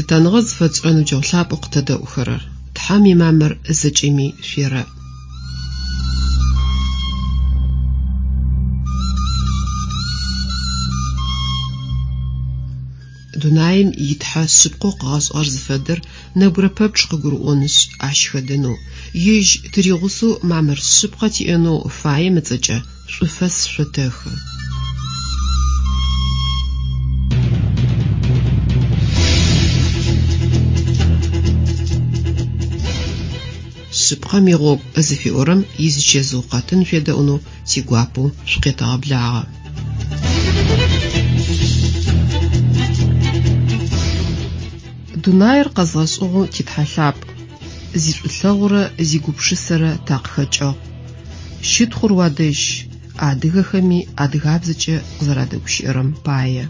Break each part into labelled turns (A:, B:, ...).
A: Лъытэныгъэ зыфэтшӏырэ ныбджэгъу лъапӏэу къытэдэӏухэрэр! Тхьэм имамыр зэкӏэми шъуерэӏ. Дунаим и Тхьэ шъыпкъэу къыгъэшӏыгъэр зыфэдэр нэбгырэ пэпчъ къыгурыӏонышъ, ащ хэдэнэу, Ежь тыригъусэу мамыр шъыпкъэ тиӏэнэу фаем ыцӏэкӏэ шӏуфэс шъотэхы. Шъыпкъэм игъогу зыфиӏорэм изичэзыу къэтын шъуедэӏунэу тигуапэу шъукъетэгъэблагъэ. Дунаир къэзгъэшӏыгъэу ти Тхьэ лъапӏ, зишӏулъэгъурэ зигупшысэрэ такъыхэкӏыгъ. Щытхъур уадэжь, адыгэхэми адыгабзэкӏэ къызэрадэгущыӏэрэм пае.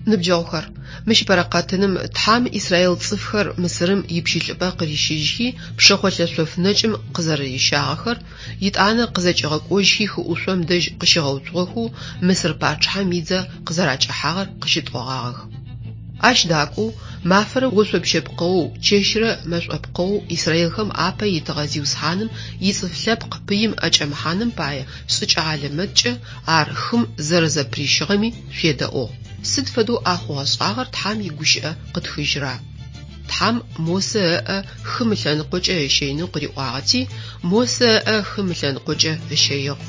A: Ныбджэгъухэр, мыщ ыпэрэ къэтыным Тхьэм Израил цӏыфхэр Мысырым ипщылӏыпӏэ къырищыжьхи, пшэхъолъэ шъоф нэкӏым къызэрэрищагъэхэр, етӏанэ къызэкӏигъэкӏожьхи хыӏушъом дэжь къыщигъэуцугъэхэу Мысыр пачъыхьэм идзэ къызэракӏэхьагъэр къыщытӏогъагъэх. Ащ дакӏоу, мафэрэ ошъопщэ пкъэоу, чэщрэ мэшӏо пкъэоу Израилхэм апэ итыгъэ Зиусхьаным ицӏыф лъэпкъ пыим ӏэкӏэмыхьаным пае шӏыкӏэ хьалэмэткӏэ ар хым зэрэзэпырищыгъэми шъуедэӏугъ. Сыд фэдэу а хъугъэ-шӏагъэр Тхьэм игущыӏэ къытхыжьра? Тхьэм Мосэ ыӏэ хым ылъэныкъокӏэ ыщэинэу къыриӏуагъэти, Мосэ ыӏэ хым ылъэныкъокӏэ ыщэигъ.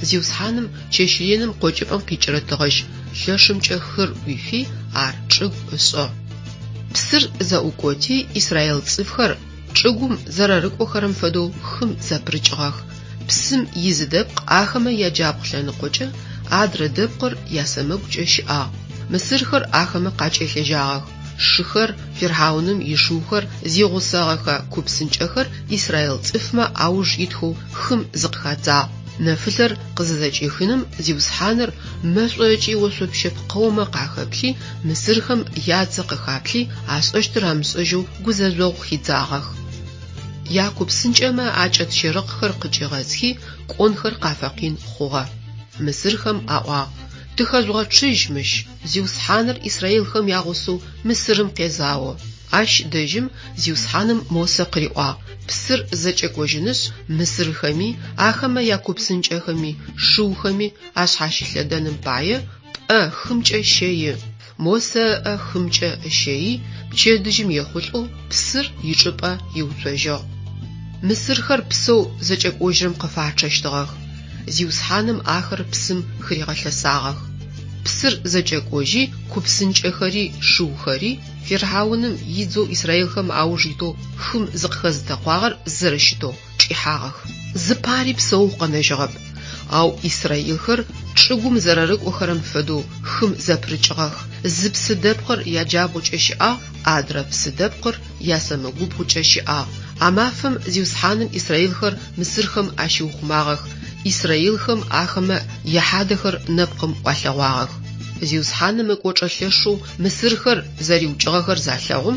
A: Зиусхьаным чэщ реным къокӏыпӏэм къикӏырэ тыгъэжь лъэшымкӏэ хыр ӏуифи, ар чӏыгу ышӏыгъ. Псыр зэӏукӏоти, Израил цӏыфхэр чӏыгум зэрэрыкӏохэрэм фэдэу хым зэпырыкӏыгъэх. Псым изы дэпкъ ахэмэ яджабгъу лъэныкъокӏэ, адрэ дэпкъыр ясэмэгукӏэ щыӏагъ. Мысырхэр ахэмэ къакӏэлъежьагъэх. Шыхэр, фирхьауным ишыухэр зигъусэгъэхэ ку псынкӏэхэр Израил цӏыфмэ ауж итхэу хым зыкъыхадзагъ. Нэфылъэр къызызэкӏихыным Зиусхьаныр мэшӏо ыкӏи ошъопщэ пкъэумэ къахэплъи, мысырхэм ядзэ къыхаплъи, ашӏэщтыр амышӏэжьэу гузэжъогъу хидзагъэх. Яку псынкӏэмэ акӏэт щэрыхъхэр къыкӏигъэзхи, кӏонхэр къафэкъин хъугъэ. Мысырхэм аӏуагъ, Тыхэжъугъэчъыжь мыщ, Зиусхьаныр Израилхэм ягъусэу Мысырым къезао. Ащ дэжьым Зиусхьаным Мосэ къыриӏуагъ, Псыр зэкӏэкӏожьынышъ, мысырхэми, ахэмэ яку псынкӏэхэми, шыухэми ашъхьащылъэдэным пае, пӏэ хымкӏэ щэи. Мосэ ыӏэ хымкӏэ ыщэий, пчэдыжьым ехъулӏэу псыр ичӏыпӏэ иуцожьыгъ. Мысырхэр псэу зэкӏэкӏожьырэм къыфачъэщтыгъэх. Зиусхьаным ахэр псым хыригъэлъэсагъэх. Псыр зэкӏэкӏожьи, ку псынкӏэхэри шыухэри, фирхьауным идзэу израилхэм ауж итэу хым зыкъыхэзытэкъуагъэр зэрэщытэу чӏихьагъэх. Зыпари псэу къэнэжьыгъэп. Ау израилхэр чӏыгум зэрэрыкӏохэрэм фэдэу хым зэпырыкӏыгъэх. Зы псы дэпкъыр яджабгъукӏэ щыӏагъ, адрэ псы дэпкъыр ясэмэгубгъукӏэ щыӏагъ. А мафэм Зиусхьаным израилхэр мысырхэм ащиухъумагъэх, израилхэм ахэмэ яхьадэхэр нэпкъым ӏуалъэгъуагъэх. Зиусхьаным ыкӏочӏэ лъэшэу мысырхэр зэриукӏыгъэхэр залъэгъум,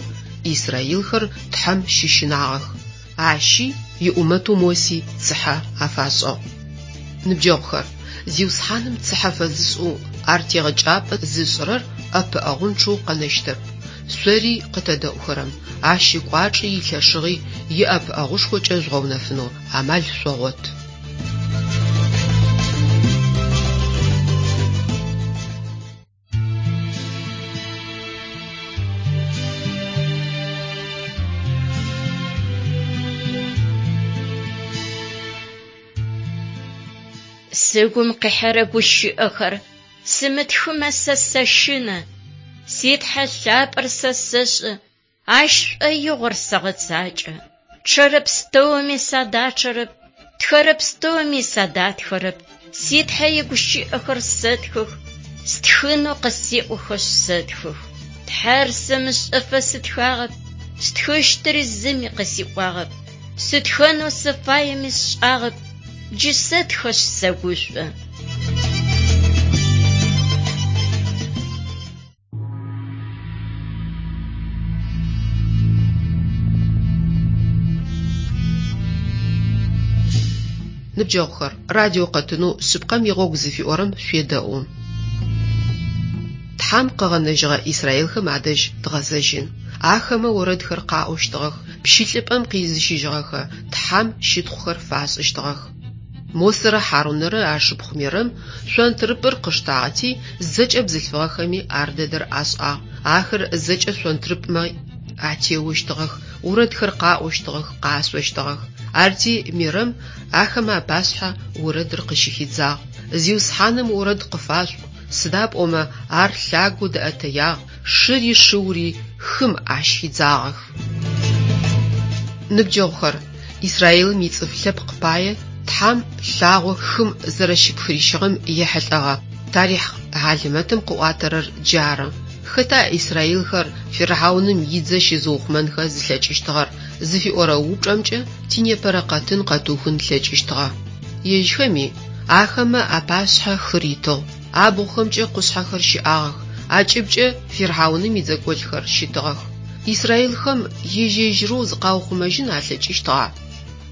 A: израилхэр Тхьэм щыщынагъэх. Ащи иӏумэтэу Моси цыхьэ афашӏыгъ. Ныбджэгъухэр, Зиусхьаным цыхьэ фэзышӏэу ар тегъэкӏапӏэ зышӏырэр ӏэпыӏэгъунчъэу къэнэщтэп. Шъори къытэдэӏухэрэм, ащ ыкӏуачӏи илъэшыгъи иӏэпыӏэгъушхокӏэ жъугъэунэфынэу амал шъогъот.
B: Сыгум къихьэрэ гущыӏэхэр сымытхымэ сэ сэщынэ. Си Тхьэ лъапӏэр сэ сэшӏэ, Ащ шӏоигъор сэгъэцакӏэ. Чъэрэ пстэуми садачъэрэп, тхэрэ пстэуми садатхэрэп. Си Тхьэ игущыӏэхэр сэтхых. Стхынэу къысеӏохэшъ сэтхых. Тхьэр сымышӏэфэ сытхагъэп, стхыщтыри зыми къысиӏуагъэп. Сытхэнэу сыфаеми сшӏагъэп, джы сэтхэшъ сэгушӏо.
A: Ныбджэгъухэр, радио къэтынэу Шъыпкъэм игъогу зыфиӏорэм шъуедэӏу. Тхьэм къыгъэнэжьыгъэ израилхэм адэжь дгъэзэжьын. Ахэмэ орэдхэр къаӏощтыгъэх, пщылӏыпӏэм къизыщыжьыгъэхэ Тхьэм щытхъухэр фашӏыщтыгъэх. Мосэрэ Хьарунэрэ ашыпхъу Мерэм шъонтрыпӏыр къыштагъэти, зэкӏэ бзылъфыгъэхэми ар дэдэр ашӏагъ. Ахэр зэкӏэ шъонтрыпӏмэ атеощтыгъэх, орэдхэр къаӏощтыгъэх, къашъощтыгъэх. Арти Мерэм ахэмэ апашъхьэ орэдыр къыщыхидзагъ. Зиусхьаным орэд къыфашъуӏу, сыда пӏомэ ар лъагэу дэӏэтэягъ, шыри шыури хым ащ хидзагъэх. Ныбджэгъухэр, Израилым ицӏыф лъэпкъ пае Тхьэм лъагъо хым зэрэщыпхырищыгъэм ехьылӏэгъэ тарихъ хьалэмэтым къыӏуатэрэр джары. Хэта израилхэр фирхьауным идзэ щызыухъумэнхэ зылъэкӏыщтыгъэр зыфиӏорэ упчӏэмкӏэ тинепэрэ къэтын къэтыухын тлъэкӏыщтыгъэ. Ежьхэми ахэмэ апашъхьэ хыр итыгъ, абгъухэмкӏэ къушъхьэхэр щыӏагъэх, акӏыбкӏэ фирхьауным идзэкӏолӏхэр щытыгъэх. Израилхэм ежь-ежьырэу зыкъаухъумэжьын алъэкӏыщтыгъа?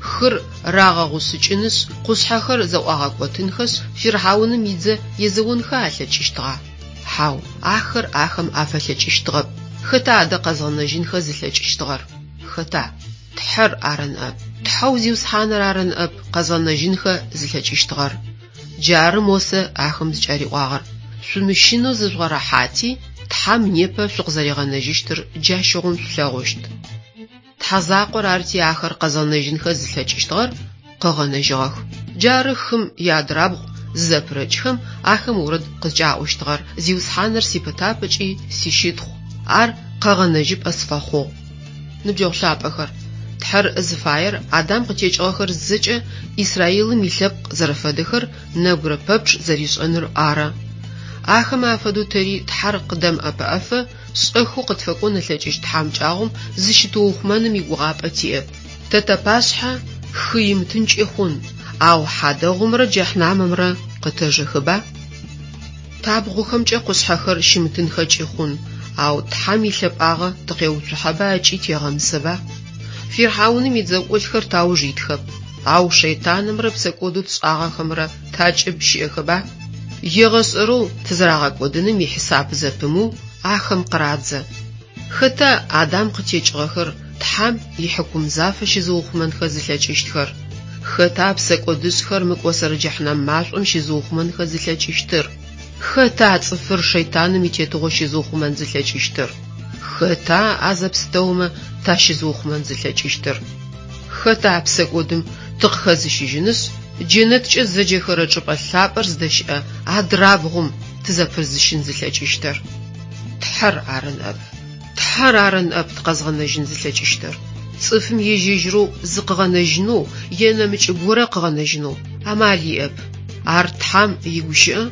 A: Хыр рагъэгъушъыкӏынышъ, къушъхьэхэр зэӏуагъэкӏотынхэшъ, фирхьауным идзэ езэонхэ алъэкӏыщтыгъа? Хьау, ахэр ахэм афэлъэкӏыщтыгъэп. Хэта адэ къэзгъэнэжьынхэ зылъэкӏыщтыгъэр? Хэта? Тхьэр ары ныӏэп. Тхьэу Зиусхьаныр ары ныӏэп къэзгъэнэжьынхэ зылъэкӏыщтыгъэр. Джары Мосэ ахэм зыкӏариӏуагъэр, Шъумыщынэу зыжъугъэрэхьати, Тхьэм непэ шъукъызэригъэнэжьыщтыр джащыгъум шъулъэгъущт. Тхьэ закъор арти ахэр къэзгъэнэжьынхэ зылъэкӏыщтыгъэр къыгъэнэжьыгъэх. Джары хым иадрабгъу зызэпырэкӏхэм ахэм орэд къызкӏаӏощтыгъэр, Зиусхьаныр сипытапӏэкӏи сищытхъу, ар къэгъэнэжьыпӏэ сфэхъугъ. Ныбджэгъу лъапӏэхэр, Тхьэр зыфаер Адам къытекӏыгъэхэр зэкӏэ Израилым илъэпкъ зэрэфэдэхэр нэбгырэ пэпчъ зэришӏэныр ары. Ахэмэ афэдэу тэри Тхьэр къыддэмыӏэпыӏэфэ шӏэхэу къытфэкӏон ылъэкӏыщт тхьамыкӏагъом зыщытыухъумэным игугъапӏэ тиӏэп. Тэ тапашъхьэ хы имытынкӏи хъун, ау хьадэгъумрэ джэхьнамымрэ къытэжэхэба? Табгъухэмкӏэ къушъхьэхэр щымытынхэкӏи хъун, ау Тхьэм илъэпӏагъэ тыкъеуцухьэба ыкӏи тегъэмысэба? Фирхьауным идзэкӏолӏхэр тауж итхэп, ау шэйтанымрэ псэкӏодэу тшӏагъэхэмрэ такӏыб щыӏэхэба? Егъэшӏэрэу тызэрагъэкӏодыным ихьисап зэпымыу ахэм къырадзэ. Хэта Адам къытекӏыгъэхэр Тхьэм ихьыкум зафэ щызыухъумэнхэ зылъэкӏыщтхэр? Хэта псэкӏодышӏхэр мыкӏосэрэ джэхьнам машӏом щызыухъумэнхэ зылъэкӏыщтыр? Хэта цӏыфыр шэйтаным итетыгъо щызыухъумэн зылъэкӏыщтыр? Хэта а зэпстэумэ тащызыухъумэн зылъэкӏыщтыр? Хэта псэкӏодым тыкъыхэзыщыжьынышъ, джэнэткӏэ зэджэхэрэ чӏыпӏэ лъапӏэр зыдэщыӏэ адрабгъум тызэпырызыщын зылъэкӏыщтыр? Тхьэр ары ныӏэп. Тхьэр ары ныӏэп тыкъэзгъэнэжьын зылъэкӏыщтыр. Цӏыфым ежь-ежьырэу зыкъыгъэнэжьынэу е нэмыкӏ горэ къыгъэнэжьынэу амал иӏэп. Ар Тхьэм игущыӏэ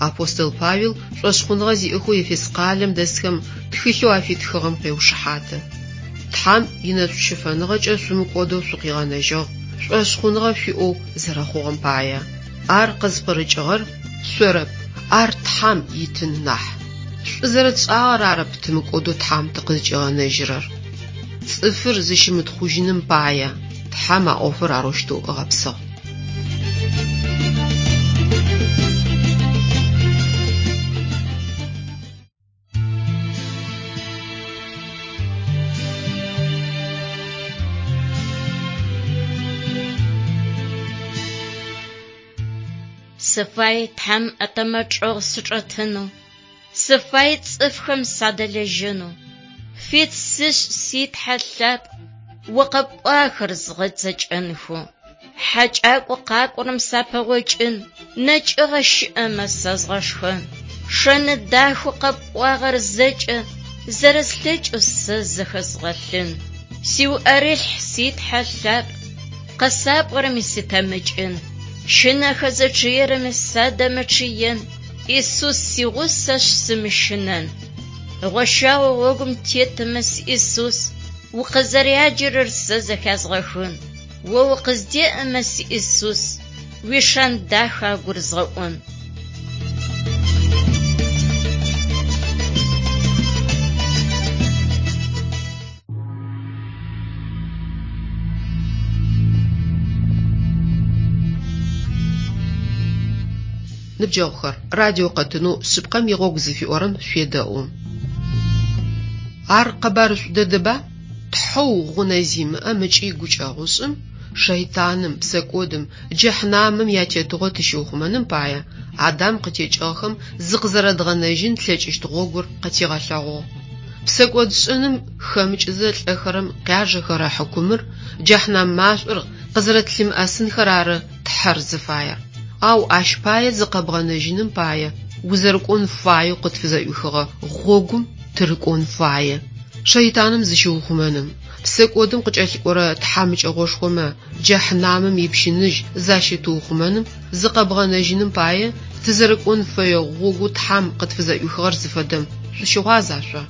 A: апостол Павел шӏошъхъуныгъэ зиӏэхэу Ефес къалэм дэсхэм тхылъэу афитхыгъэм къеушыхьаты. Тхьэм инэшӏущыфэныгъэкӏэ шъумыкӏодэу шъукъигъэнэжьыгъ, шӏошъхъуныгъэ шъуиӏэу зэрэхъугъэм пае. Ар къызпкъырыкӏыгъэр шъорэп, ар Тхьэм итын нахь. Шӏу зэрэтшӏагъэр арэп тымыкӏодэу Тхьэм тыкъызкӏигъэнэжьырэр. Цӏыфыр зыщымытхъужьыным пае Тхьэм а ӏофыр арэущтэу ыгъэпсыгъ.
B: Сыфай Тхьэм ытэмэ чӏэгъ сычӏэтынэу, сыфай цӏыфхэм садэлэжьэнэу. Фит сышӏ си Тхьэ лъапӏ, о къэпӏуахэр згъэцэкӏэнхэу. Хьакӏакӏо къакӏорэм сапэгъокӏын, нэкӏыгъэ щыӏэмэ сэзгъэшхэн. Шэны дахэу къэпӏуагъэр зэкӏэ зэрэслъэкӏэу сэ зэхэзгъэлъын. Сиуӏэрылъхь си Тхьэ лъапӏ, къэсапӏорэми сытэмыкӏын. Щынэхэзэ чъыерэми садэмычъыен. Исус сигъусэшъ сымыщынэн. Гъощагъэ гъогум тетымэ, си Исус, укъызэряджэрэр сэ зэхязгъэхын. О укъыздеӏэмэ, си Исус, уишэн дахэ агурызгъэӏон.
A: Ныбджэгъухэр, радио къэтынэу Шъыпкъэм игъогу зыфиӏорэм шъуедэӏу. Ар къэбарышӏу дэдэба? Тхьэу гъунэ зимыӏэм ыкӏи гукӏэгъушӏым, шэйтаным, псэкӏодым, джэхьнамым ятетыгъо тыщиухъумэным пае, Адам къытекӏыгъэхэм зыкъызэрэдгъэнэжьын тлъэкӏыщт гъогур къытигъэлъэгъугъ. Псэкӏодшӏэным хэмыкӏызэ лӏэхэрэм къяжэхэрэ хьыкумыр, джэхьнам машӏор къызэрэтлъымыӏэсынхэр ары Тхьэр зыфаер. Ау ащ пае зыкъэбгъэнэжьыным пае узэрыкӏон фаеу къытфызэӏуихыгъэ гъогум тырыкӏон фае. Шэйтаным зыщыухъумэным, псэкӏодым къыкӏэлъыкӏорэ тхьамыкӏэгъошхомэ джэхьнамым ипщыныжь защытыухъумэным зыкъэбгъэнэжьыным пае тызэрыкӏон фэе гъогоу Тхьэм къытфызэӏуихыгъэр зыфэдэм шъущыгъуаза шъо?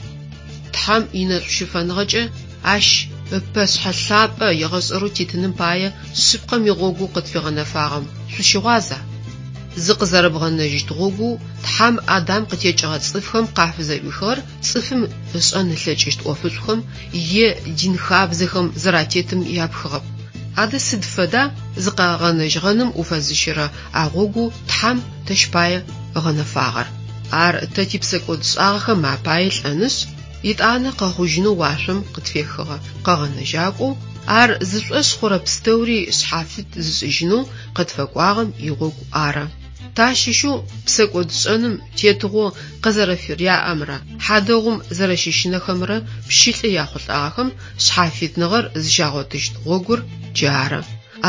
A: Тхьэм инэшӏущыфэныгъэкӏэ ащ ыпэшъхьэ лъапӏэ егъэшӏэрэу титыным пае шъыпкъэм игъогоу къытфигъэнэфагъэм шъущыгъуаза? Зыкъызэрэбгъэнэжьыщт гъогоу Тхьэм Адам къытекӏыгъэ цӏыфхэм къафызэӏуихыгъэр цӏыфым ышӏэн ылъэкӏыщт ӏофышӏухэм е дин хабзэхэм зэратетым япхыгъэп. Адэ сыд фэда зыкъэгъэнэжьыгъэным уфэзыщэрэ а гъогоу Тхьэм тэщ пае ыгъэнэфагъэр? Ар тэ типсэкӏодшӏагъэхэм апае лӏэнышъ, етӏанэ къэхъужьынэу уашъом къытфехыгъэ Къэгъэнэжьакӏоу, ар зышӏошъ хъурэ пстэури шъхьафит зышӏыжьынэу къытфэкӏуагъэм игъогу ары. Тащыщэу псэкӏодшӏэным тетыгъо къызэрэфыряӏэмрэ хьадэгъум зэрэщыщынэхэмрэ пщылӏы яхъулӏагъэхэм шъхьафитныгъэр зыщагъотыщт гъогур джары.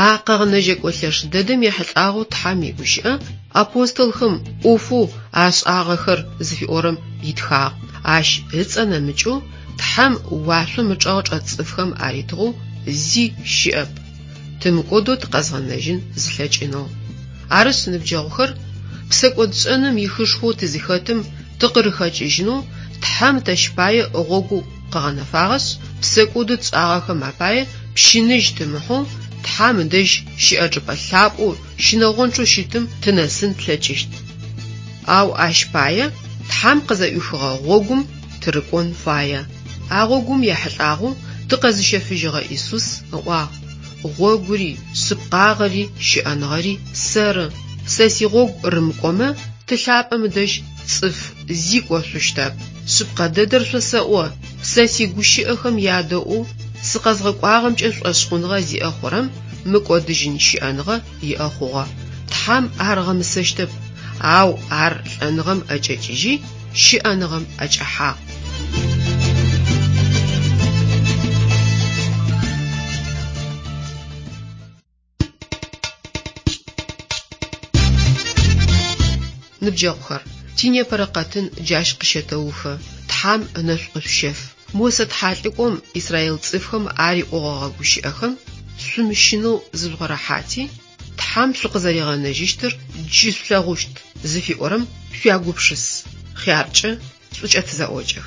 A: А Къэгъэнэжьэкӏо лъэш дэдэм ехьылӏагъэу Тхьэм игущыӏэ апостолхэм ӏофэу ашӏагъэхэр зыфиӏорэм итхагъ. Ащ ыцӏэ нэмыкӏэу Тхьэм уашъом ычӏэгъ чӏэт цӏыфхэм аритыгъэу зи щыӏэп, тымыкӏодэу тыкъэзгъэнэжьын зылъэкӏынэу. Арышъ, ныбджэгъухэр, псэкӏодшӏэным ихышхоу тызыхэтым тыкъырыхэкӏыжьынэу Тхьэм тэщ пае гъогу къыгъэнэфагъэшъ, псэкӏодэу тшӏагъэхэм апае пщыныжь тымыхьэу Тхьэм ыдэжь щыӏэ чӏыпӏэ лъапӏэу щынэгъончъэу щытым тынэсын тлъэкӏыщт. Ау ащ пае Тхьэм къызэӏуихыгъэ гъогум тырыкӏон фае. А гъогум ехьылӏагъэу тыкъэзыщэфыжьыгъэ Исус ыӏуагъ, Гъогури, шъыпкъагъэри, щыӏэныгъэри сэры. Сэ сигъогу рымыкӏомэ, Ты лъапӏэм ыдэжь цӏыф зи кӏошъущтэп. Шъыпкъэ дэдэр шъосэӏо, сэ сигущыӏэхэм ядэӏоу сыкъэзгъэкӏуагъэмкӏэ шӏошъхъуныгъэ зиӏэ хъурэм мыкӏодыжьын щыӏэныгъэ иӏэ хъугъэ. Тхьэм ар ыгъэмысэщтэп, ау ар лӏэныгъэм ӏэкӏэкӏыжьи, щыӏэныгъэм ӏэкӏэхьагъ. Ныбджэгъухэр, тинепэрэ къэтын джащ къыщэтэухы, Тхьам ынэшӏу къышъущэф. Мосэ тхьалӏыкӏом израил цӏыфхэм ариӏогъэгъэ гущыӏэхэм шъумыщынэу зыжъугъэрэхьати, Тхьэм шъукъызэригъэнэжьыщтыр джы шъулъэгъущт зыфиӏорэм шъуягупшыс, хъяркӏэ, шӏукӏэ тызэӏокӏэх.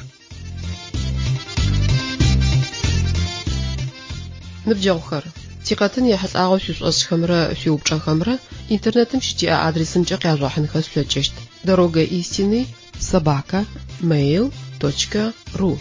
A: Ныбджэгъухэр, тикъэтын ехьылӏагъэу шъуишӏошӏхэмрэ шъуиупчӏэхэмрэ интернетым щытиӏэ адресымкӏэ къяжъугъэхьынхэ шъулъэкӏыщт: Дорога истины собака mail точка ру.